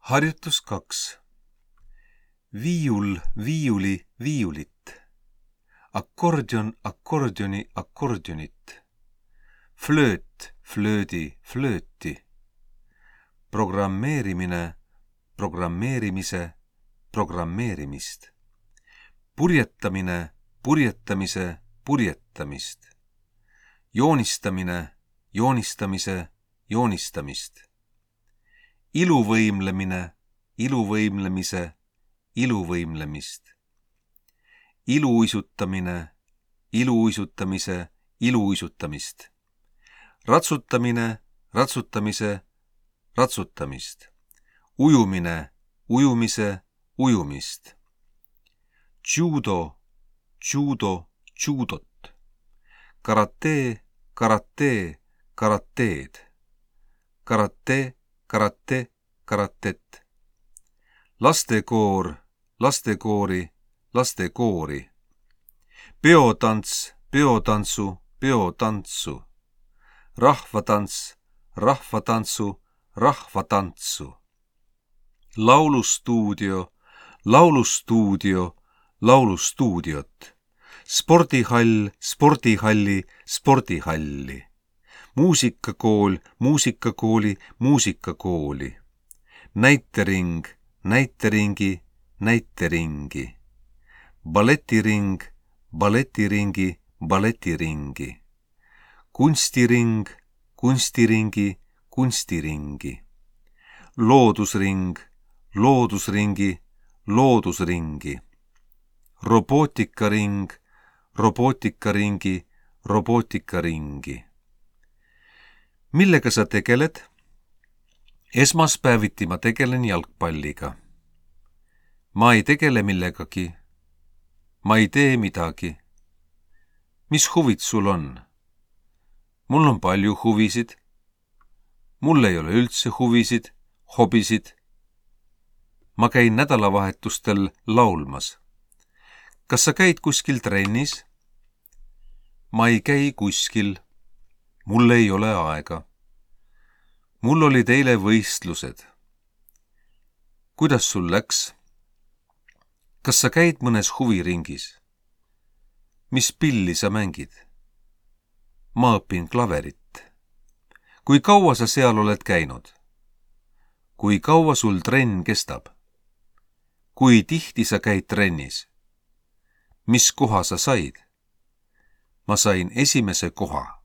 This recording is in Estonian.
Harjutus 2. Viiul, viiuli, viiulit. Akkordion, akkordioni, akkordionit. Flööt, flöödi, flööti. Programmeerimine, programmeerimise, programmeerimist. Purjetamine, purjetamise, purjetamist. Joonistamine, joonistamise, joonistamist. Iluvõimlemine, iluvõimlemise, iluvõimlemist. Iluuisutamine, iluuisutamise, iluuisutamist. Ratsutamine, ratsutamise, ratsutamist. Ujumine, ujumise, ujumist. Judo, judo, judot. Karate, karate, karateed. Karate, karate, karatet. Lastekoor, lastekoori, lastekoori. Peotants, peotantsu, peotantsu. Rahvatants, rahvatantsu, rahvatantsu. Laulustuudio, laulustuudio, laulustuudiot. Spordihall, spordihalli, spordihalli. Muusikakool, muusikakooli, muusikakooli. Näitering, näiteringi, näiteringi. Balletiring, balletiringi, balletiringi. Kunstiring, kunstiringi, kunstiringi. Loodusring, loodusringi, loodusringi. Robootikaring, robootikaringi, robootikaringi. Millega sa tegeled? Esmaspäeviti ma tegelen jalgpalliga. Ma ei tegele millegagi. Ma ei tee midagi. Mis huvid sul on? Mul on palju huvisid. Mul ei ole üldse huvisid, hobisid. Ma käin nädalavahetustel laulmas. Kas sa käid kuskil trennis? Ma ei käi kuskil. Mul ei ole aega. Mul olid eile võistlused. Kuidas sul läks? Kas sa käid mõnes huviringis? Mis pilli sa mängid? Ma õpin klaverit. Kui kaua sa seal oled käinud? Kui kaua sul trenn kestab? Kui tihti sa käid trennis? Mis koha sa said? Ma sain esimese koha.